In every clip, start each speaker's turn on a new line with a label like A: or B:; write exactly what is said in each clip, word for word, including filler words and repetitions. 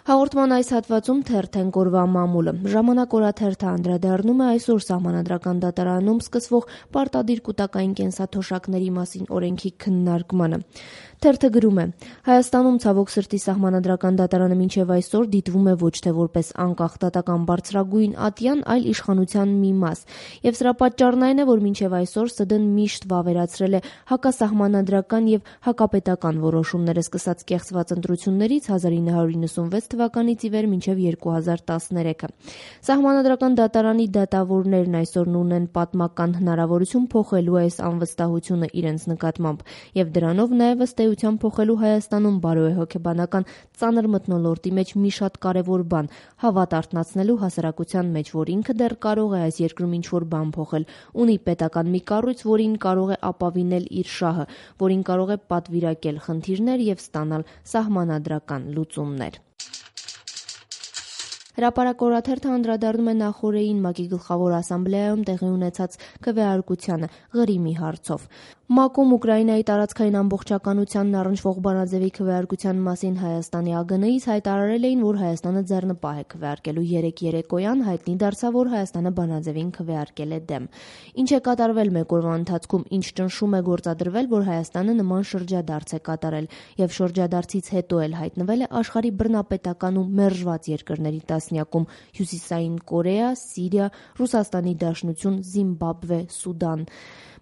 A: Հաղորդման այս հատվածում թերթենք օրվա մամուլը։ Ժամանակ օրաթերթը անդրադառնում է այսօր Սահմանադրական դատարանում սկսվող պարտադիր կուտակային կենսաթոշակների մասին օրենքի քննարկմանը։ Թերթը գրում է. Հայաստանում ցավոք սրտի Սահմանադրական դատարանը մինչև այսօր դիտվում է ոչ թե որպես անկախ դատական բարձրագույն ատյան, այլ իշխանության մի մաս։ Եվ սրա պատճառն այն է, որ մինչև այսօր ՍԴ-ն միշտ վավերացրել է հակասահմանադրական եւ հակապետական որոշումները սկսած կեղծված ընտրություններից հազար ինը հարյուր իննսունվեց թվականից ի վեր մինչև երկու հազար տասներեքը։ Սահմանադրական դատարանի դատավորներն այսօր ունեն պատմական հնարավորություն փոխելու այս անվստահությունը իրենց նկատմամբ եւ դրանով նաեւ ըստ էության փոխելու Հայաստանում բարոյահոգեբանական ծանր մթնոլորտի մեջ մի շատ կարեւոր բան՝ հավատ արթնացնելու հասարակության մեջ, որ ինքը դեռ կարող է այս երկրում ինչ-որ բան փոխել, ունի պետական մի կառույց, որին կարող է ապավինել իր շահը, որին կարող է պատվիրակել խնդիրներ եւ ստանալ սահմանադրական լուծումներ։ Հրապարակ օրաթերթը անդրադառնում է նախօրեին ՄԱԿ-ի գլխավոր ասամբլեայում տեղի ունեցած քվեարկությանը Ղրիմի հարցով։ ՄԱԿ-ում Ուկրաինայի տարածքային ամբողջականությանն առնչվող բանաձևի քվեարկության մասին Հայաստանի ԱԳՆ-ից հայտարարել էին, որ Հայաստանը ձեռնպահ է քվեարկելու։ Երեկ երեկոյան հայտնի դարձավ, որ Հայաստանը բանաձևին քվեարկել է դեմ։ Ինչ է կատարվել մեկ օրվա ընթացքում, ինչ ճնշում է գործադրվել, որ Հայաստանը նման շրջադարձ է կատարել, եւ շրջադարձից հետո էլ հայտնվել է աշխարհի բռնապետական ու մերժված երկրների տասնյակում՝ Հյուսիսային Կորեա, Սիրիա, Ռուսաստանի Դաշնություն, Զիմբաբվե, Սուդան։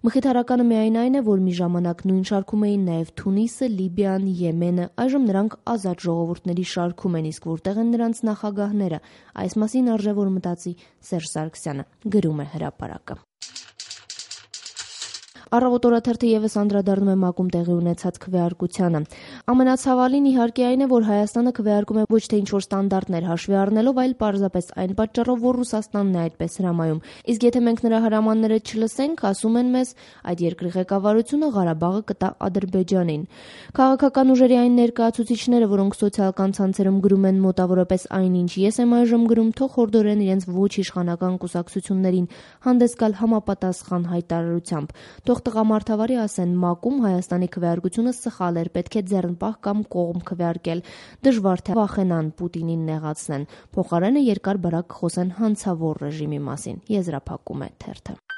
A: Մխիթարականը միայն այն է, որ մի ժամանակ նույն շարքում էին նաև Թունիսը, Լիբիան, Եմենը, այժմ նրանք ազատ ժողովուրդների շարքում են, իսկ որտեղ են նրանց նախագահները։ Այս մասին արժե որ մտածի Սերժ Սարգսյանը, գրում է Հրապարակը։ Առավոտ օրաթերթը եւս անդրադառնում է ՄԱԿ-ում տեղի ունեցած քվեարկությանը։ Ամենացավալին իհարկե այն է, որ Հայաստանը քվեարկում է ոչ թե ինչ-որ ստանդարտներ հաշվի առնելով, այլ պարզապես այն պատճառով, որ Ռուսաստանն է այդպես հրամայում։ Իսկ եթե մենք նրա հրամանները չլսենք, ասում են մեզ, այդ երկրի ղեկավարությունը Ղարաբաղը կտա Ադրբեջանին։ Քաղաքական ուժերի այն ներկայացուցիչները, որոնք սոցիալական ցանցերում գրում են մոտավորապես այնինչ ես եմ այժմ գրում, թող հորդորեն իրենց ոչ իշխանական կուսակցություններին հանդես գալ համապատասխան հայտարարությամբ։ Թող տղամարդավարի ասեն ՄԱԿ-ում Հայաստանի քվեարկությունը սխալ էր, պետք է ձեռնպահ կամ կողմ քվեարկել։ Դժվար թե վախենան Պուտինին նեղացնեն։ Փոխարենը երկար-բարակ կխոսեն հանցավոր ռեժիմի մասին, եզրափակում է թերթը։